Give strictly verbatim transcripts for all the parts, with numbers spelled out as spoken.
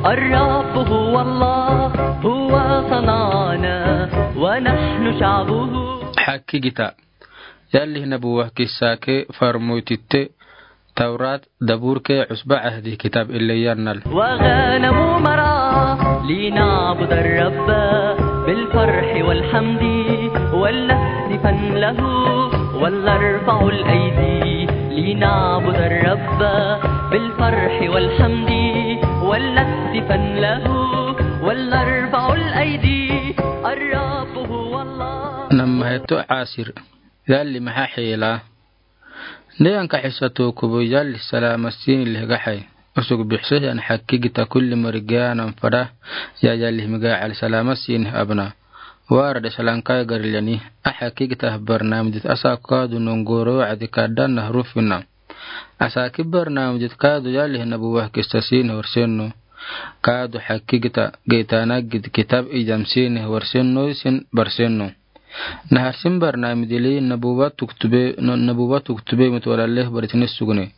الرب هو الله، هو صنعنا ونحن شعبه. Hakkigita. Yalli nabuwa kissa ke farmoy titte, Tawrat, Dabur ke, Usba Ahdi kitab ille yannal. وغنم مرعى لنعبد الرب بالفرح والحمد ولنهتفن له ولنرفع الأيدي لنعبد الرب بالفرح والحمد ولنهتفن له ولنرفع الأيدي الرب هو الله. Namma hetto Asir. Yalli maha hela. Neyan kaxisa tokubo yalli salama siini leh gaxay. Usug bixseh yan hakkigita kulli mari ganan fada ya yalli miga al salama siini abna. Wara de salankay garilani. A hakkigita barnamijit asa kaadu nongoro adi kadan na rufina. Asa ki barnamijit kaadu yalli nabuwa kissa siini horsenno. Kaadu hakkigita geytana gid kitab ijam siini horsenno sin barsenno. Naharsin barnamijili nabuwa tuktube, no-, nabuwa tuktube mit wala leh baritini sugne.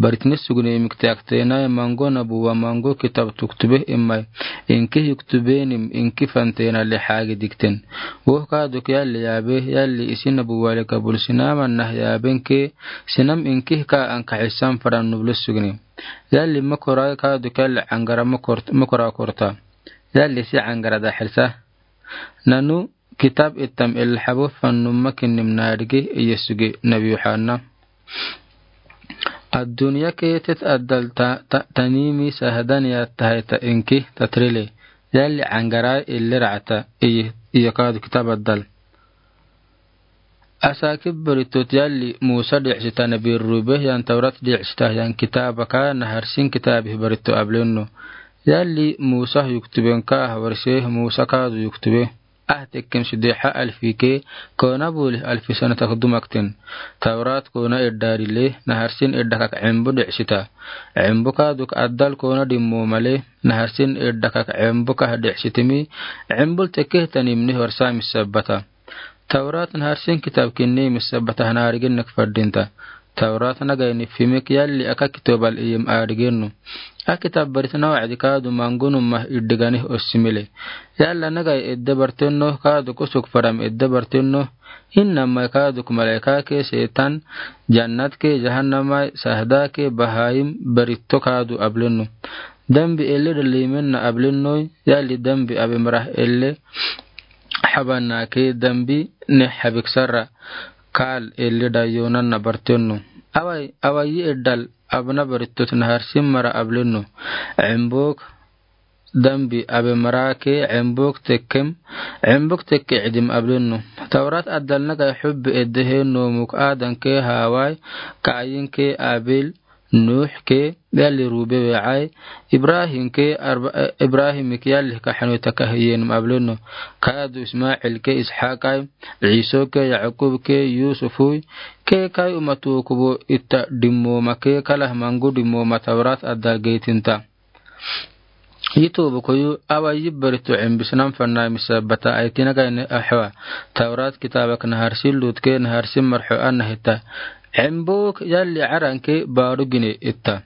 Baritini sugne mik tiaktenay mango nabuwa mango kitab tuktube imay. Inki yuktubenim inki fantena leh hagi dikten. Woh kaadu ke yalli yabe, yalli isi nabuwa le kabul sinama nah yaben ke, sinam inki ka an kaxisam fadan nubli sugne. Yalli makoray kaadu ke yalli angara makor-, makora korta. Yalli si angara da xirsa. Nanu kitab ittam ilhabo fannumma kinnim nadige iye suge nabi Yohanna. Addunya ke tet addal ta, ta, tanimi sahadan ya tahayta inki tatrile. Yalli angara illi ra'ata iye, iye kaadu kitab addal. Asa ki baritot yalli Musa di'sita nabi rube yan Tawrat di'sita yan kitabaka naharsin kitabi barito ablenno. Yalli Musa yuktuben ka hawarse Musa kaadu yuktube. Ah tekkem sideha alfi ke, kona buli alfi sana tak dumakten. Tawrat kona eddarile, naharsin eddakak embu di'sita. Embu kaduk addal kona dimmo male, naharsin eddakak embu kah di'sitimi, embul tekkeh tanimni horsa misabbata. Tawrat naharsin kitab kinni misabbata hanarigen nak fadinta. Tawrat nagay nifimik yalli aka kitobal iyim aadigenno. A kitab baritna wa'di kaadu mangunumma iddiganih ossimile. Yalla nagay edde bartenno kaadu kusuk faram edde bartenno. Innamay kaaduk malaika ke setan, jannat ke jahannamay, sahda ke bahayim baritto kaadu ablenno. Dambi elle dalimenna ablennoy, yalli dambi abe marah elle. Habanna ke dambi ne habik sarra kal elle dayonanna bartenno. Away, away eddal abna barittot naharsin mara ablenno. Embok dambi abe mara ke embok tekkem, embok tekke idim ablenno. Tawrat addal nagay hubbi eddehe nomuk Adan ke Haway, Kayin ke Abil, Nuh ke yalli rube we'ay, Ibrahim ke arba-, eh, Ibrahim ke yalli kahanu takahiyenum ablenno. Kaadu Ismail ke Ishaqay, Iso ke Yaqub ke Yusufuy, ke kay umatu kubo itta dimmoma ke kalah mangu dimmoma Tawrat addal geytinta. Yitubu koyu awa yibbarito embisnam fannay misabbata ay kinagayne ahwa. Tawrat kitabak naharsin lut ke naharsin marxo anna hita. Embok yalli aran ke baru gine itta.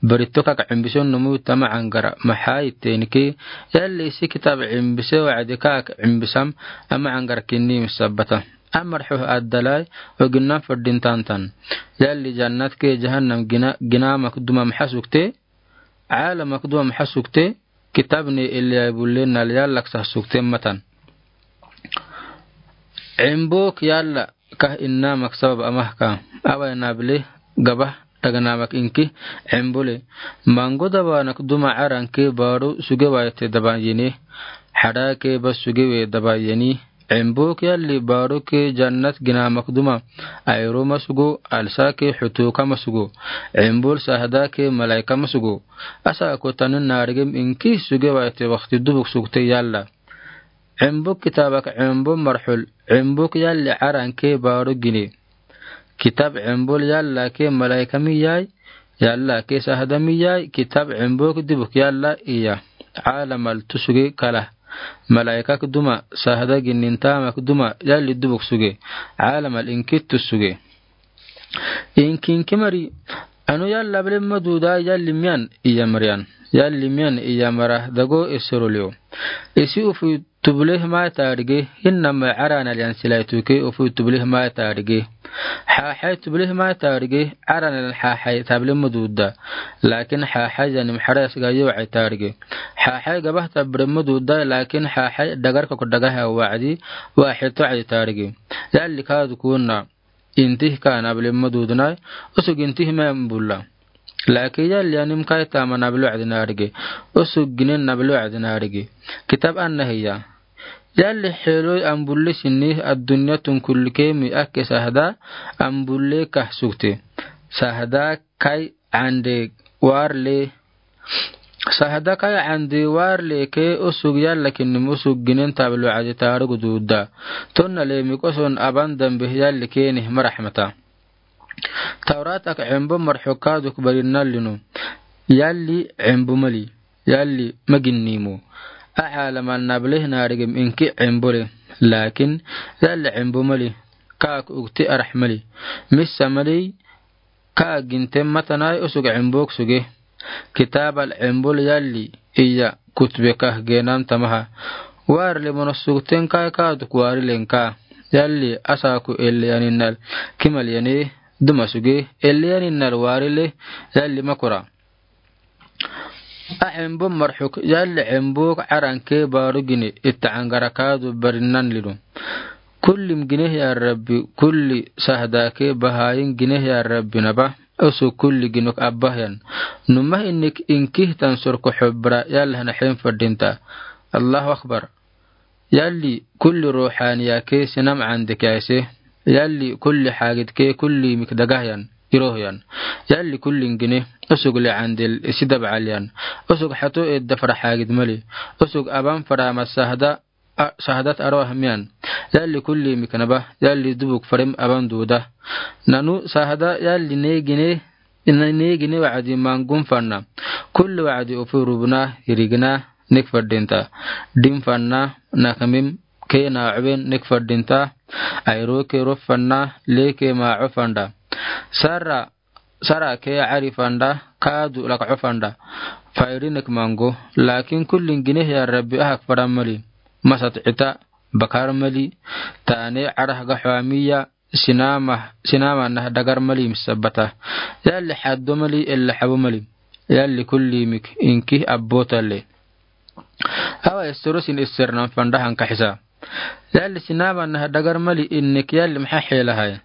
Barito kak embison numu tama angara. Maha itten ke yalli isi kitab embise wa'di kak embisam ama angara kinni misabbata. Amarxo addalay oginnam faddin tantan. Yalli jannat ke jahannam gina, gina makduma maha sukte. Ala makduma maha sukte, kitabne illi ay bulle nal yallak sah sukte matan. Embok yalla kah inna mak sabab amah ka. Away nable gabah dagna mak inki embole. Mango dabanak duma aran ke baru suge wayte daban yene. Hada ke ba suge we daban yene. Embok yalli baru ke jannat gina makduma. Ayro masugo, alsa ke hutuka masugo. Embol sahda ke malaika masugo. Asa ko tanin narigem inki suge wayte wakti dubuk sukte yalla. Embok kitabak embok marhul. Embok yalli aran ke baru gine. Kitab embol yalla ke malaika miyay, yalla ke sahda miyay, kitab embok dibuk yalla iya. Alamal tusuge kala. Malaikak duma, sahda ginnintamak duma, yalli dibuk suge. Alamal inkit tusuge. Inki inki mari, Anu yalla able maduda yalli miyan iya mariyan. Yalli miyan iya mara dago esoro leo. Isi ufu tubule mai tarige, hinna mai arana liyan silai tuke ufu tubule mai tarige. Hahai tubule mai tarige, arana liyan hahai table maduda. Lakin hahai yanim haras ga yo ai tarige. Hahai gabah tabre maduda, lakin hahai dagar kok daga ha wa'di, wa hito ai tarige. Yalli kadu kuna. Intih ka nable madudnai, usug intih mai ambulla. Lakin yalli anim kai tama nable wa'di narige. Usug ginen nable wa'di narige. Kitab anna hiya. Yalli heloi ambulli sinni addunya tun kulli kemi akke sahda ambulle kah sugte. Sahda kai ande warle Sahda kai ande warle ke usug yalla kinnim usug ginen table wa'di tarugu duda. Tonna lemi koson aban dambe yalli keni marahmata. Tawrat ak embo marxo kaduk barinna linu. Yalli embo mali. Yalli maginnimo. A'a laman nable narigim inki embole. Lakin yalli embo mali. Kaak ugti arah mali. Missa mali. Ka ginte matanai usug embok suge. Kitab al embol yalli iya kutbe kah genam tamaha. Warle mono sugten kai kaduk warilen ka. Yalli asaku elle yaninnal kimal yani duma suge. Elle yaninnal warile yalli makura. A embo marxuk yalli embok aranke baru gine ita angara kadu barinnan lidu. Kullim gineh ya Rabbi, kulli sahdake bahayin gineh ya Rabbi naba, usug kulli ginok abbahyan. Numah innik inkih tan sorko xobra yallah naxen fadinta. Allahu Akbar. Yalli kulli ruuxaaniyake sinam candek yaise. Yalli kulli xaagidke kulli mik dagahyan, irohyan. Yalli kullin gine, usug le candel isi dabcalyan. Usug xato edda fara xaagid mali. Usug aban fara masahda sahdat aroh miyan. Yalli kulli miknaba yalli dubuk farim aban duda. Nanu sahda yalli neegine, neegine wacdi mangun fanna. Kulli wacdi ufu rubna, hirigna, nek fadinta. Dim fanna, nakmim, ke na cuben nek fadinta. Ayro ke rof fanna, le ke maco fanda. Sarra Sara ke cari fanda, kadu lak cufanda. Fayri nek mango, lakin kullin gineh ya Rabbi ahak fara mali. Masat cita, bakar mali, tane carah ga xwamiya, sinama, sinama nah dagar mali misabata. Yalli xaddo mali, ella xabo mali. Yalli kulli mik, inki abbo talle. Awa esoro sin eser nan fanda hanka xisa. Yalli sinama nah dagar mali innik yalli maxa xelahay.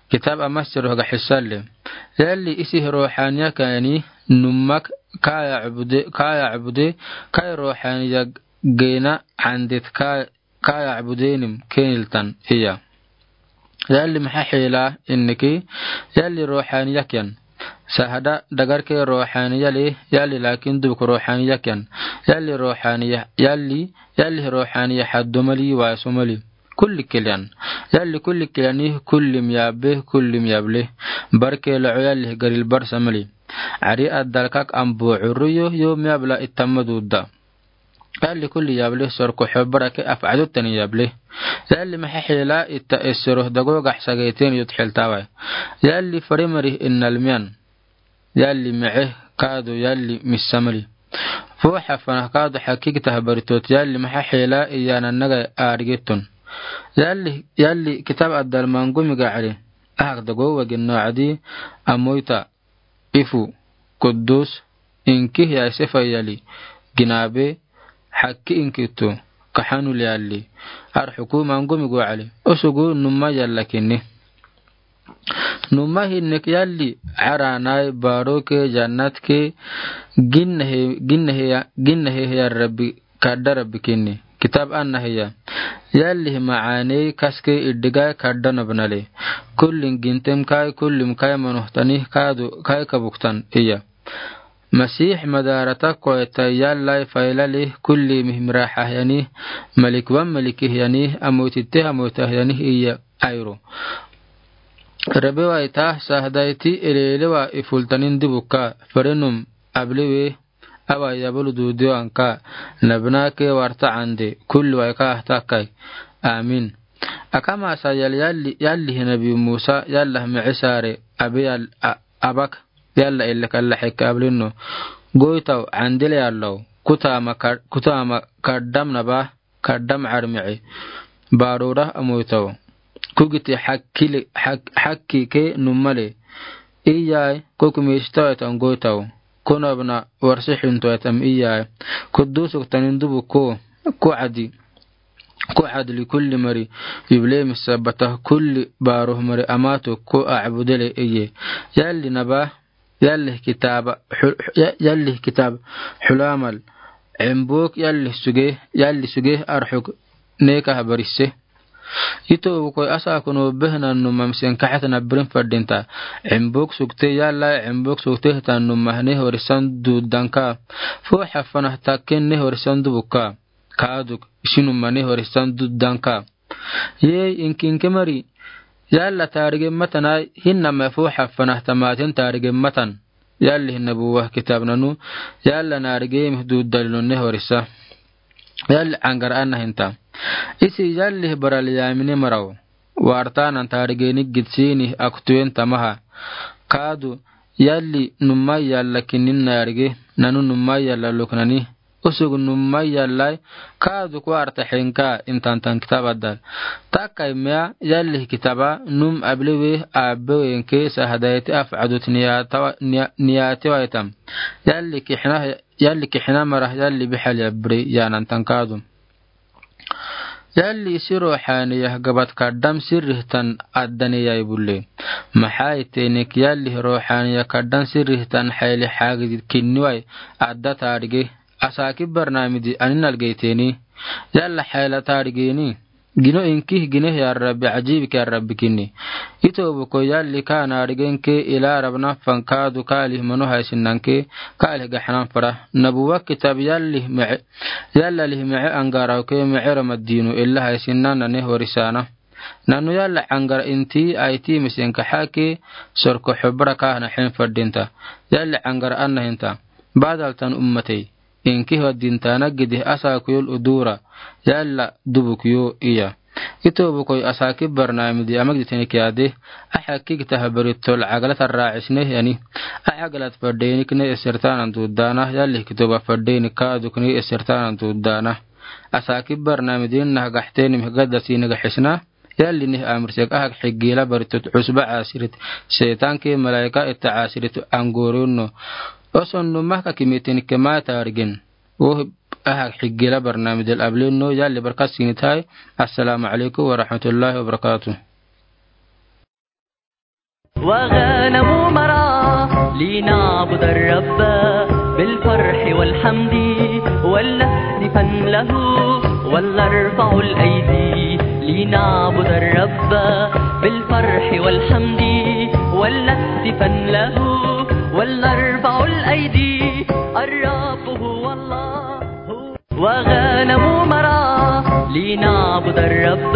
Kitab amasiro haga xisalle. Yalli isi ruuxaniya kani numak kaya cubude, kaya cubude, kay ruuxaniya gena candit kaya cubudenim keniltan hiya. Yalli maxa xela inniki, yalli ruuxaniya kiyan. Sahada dagarke ruuxaniya le, yalli lakin dubuk ruuxaniya kiyan. Yalli ruuxaniya, yalli, yalli ruuxaniya xaddo mali, waso mali. Kulli keliyan. Yalli kulli keliyani, kullim yabe, kullim yable. Barke loco yalli garil barsa mali. Cari addalkak ambo curru yo, yo miyabla itamma duda. Yalli kulli yable sorko xobara ke afcado tani yable. Yalli maxa xela ita esero dago gaxsageten yut xeltawai. Yalli fare mari innal miyan. Yalli mece kadu yalli misa mali. Fuxa fanah kadu xakikitah baritot yalli maxa xela iyananaga arigetun. Yalli, yalli kitab addal mangu miga cari. Ahak dago wagin nocadi amoyta. Ifu, kudus, inki ya sefa yali, ginabe, xakki inkitu, kaxanu liyali, arxuku mangu migu cali, usugu numa yalla kinni. Numa hinnik yalli, caranai, baroke, jannatke, ginnahe, ginnahe ya, ginnahe ya Rabbi, kadda Rabbi kinni. Kitab anna hiya. Yalli hi macaaney kaske iddigai kadda nabnale. Kullin gintem kai, kullim kai manohtani, kadu kai kabuktan iya. Masih madarata koeta yallai failale, kulli mihmiraxahyani, malikwan malikihyani, amoytitte amoytahyani iya ayro. Rebewai ta sahdaiti elelewa ifultanin dibuka, ferenum ablewe, Awa yabulu dudu anka, nabnake warta ande, kulli wai ka ahtakai. Amin. Akama sa yal yalli, yalli hi nabi Musa, yalla micisare, abi yal, a-, abak, yalla ele kala heke ableno. Goytaw, andele yallow, kutama ka-, kutama kadam naba, kadam armi'i. Baroda amoytaw. Kugiti hakkile, hak-, hakkike numale. Iyaay, koku mistaw etam goytaw. Konabna warsi xinto etam iyaay. Kudusuk tanin dubu ko, ko adi. Ko adli kulli mari, yuble misabata kulli baruh mari amato ko abudele iye. Yalli naba, yalli kitaba, xul-, ya-, yalli kitab, xulamal. Embuk yalli suge, yalli suge arxuk neka habarisse. Ito bukoy asa kuno behna numa misen kaxatna birin fadinta. Embuk sukte yalla, embuk sukte hitan numa ne horisan dudanka. Fu xafana takken ne horisan dubuka. Kaaduk, isinuma ne horisan dudanka. Yey, inkinke mari. Yalla taarige matanay, hinna me fu xafana tamaten taarige matan. Yalli hinna buwa kitab nanu, yalla naarige mih dudalino ne horisa. Yalli angar anna hinta. Isi yalli barali yamine maraw. Wartanan taarige ni gitsini aktuen tamaha. Kaadu, yalli numay yalla kinin naarige, nanu numay yalla luknani. Usug numay yallay, kaadu kuarta xinka intantan kitaba dal. Takay mea yalli kitaba num abliwe abewe inke sahadayti afcadut niyatawa, niya-, niyatiwa itam. Yalli kixna, yalli kixna marah yalli bixal yabri yanantan kaadu. Yalli isi ruxaniyah gabat kadam sirrihtan addaniyay bulle. Maxay tenik yalli ruxaniyah kadam sirrihtan xayli xaagid kinniway adda taarige. Asaki barnamidi anin algeyteni. Yalla xayla taarigeni. Gino inkih gineh ya Rabbi, ajibik ya Rabbi kinni. Ito buko yalli ka naarigenke ila Rabna fan kaadu kaalih mano haysinnanke kaalih gaxnan fara. Nabuwa kitab yalli me'e. Yalla lih me'e angarawke me'e Ramadinu illa haysinnan nane horisana. Nanu yalla angar inti ayti misinka xake sorko xubra kahna xin fadinta. Yalla angar anna hinta. Badaltan ummatey. Inki hodintana gidih asa kuyul udura. Yalla dubuk yo iya. Ito bukoy asaki barnamidi amagdi tenik yade. Axakik tahbari tol cagalat arraacisneh yani. Axagalat fadeynik ne esirtanan duddana. Yalli kitoba fadeynik kaaduk ne esirtanan duddana. Asaki barnamidin nah gaxteni mih gadda sini gaxisna. Yalli nih amrsek ahak xigila baritut cusba caasirit. Seetanke malaika itta caasirit angoronno. Oson numah kakimiten kema taarigin. Woh ahak xigila barnamidel ablinno yalli barkat sinitay. Assalamu alaikum warahmatullahi wabarakatuh. وغنم مرعى لنعبد الرب بالفرح والحمد ولنهتفن له ولنرفع الأيدي لنعبد الرب بالفرح والحمد ولنهتفن له ولنرفع الأيدي الرب هو الله. وغنم مرعى لنعبد الرب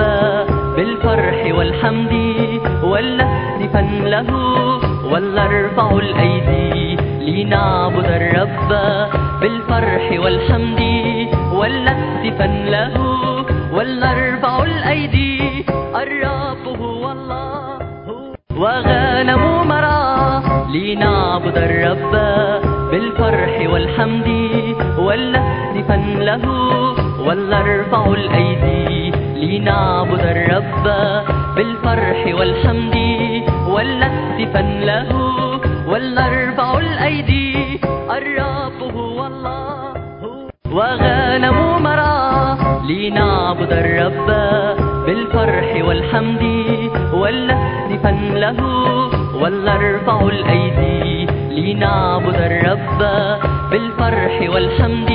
بالفرح والحمد ولنهتفن له ولنرفع الأيدي لنعبد الرب بالفرح والحمد ولنهتفن له ولنرفع الأيدي الرب هو الله. وغنم مرعى لنعبد الرب بالفرح والحمد ولنهتفن له ولنرفع الأيدي لنعبد الرب بالفرح والحمد ولنهتفن له ولنرفع الأيدي الرب هو الله. وغنم مرعى لنعبد الرب بالفرح والحمد ولنهتفن له ولنرفع الأيدي لنعبد الرب بالفرح والحمد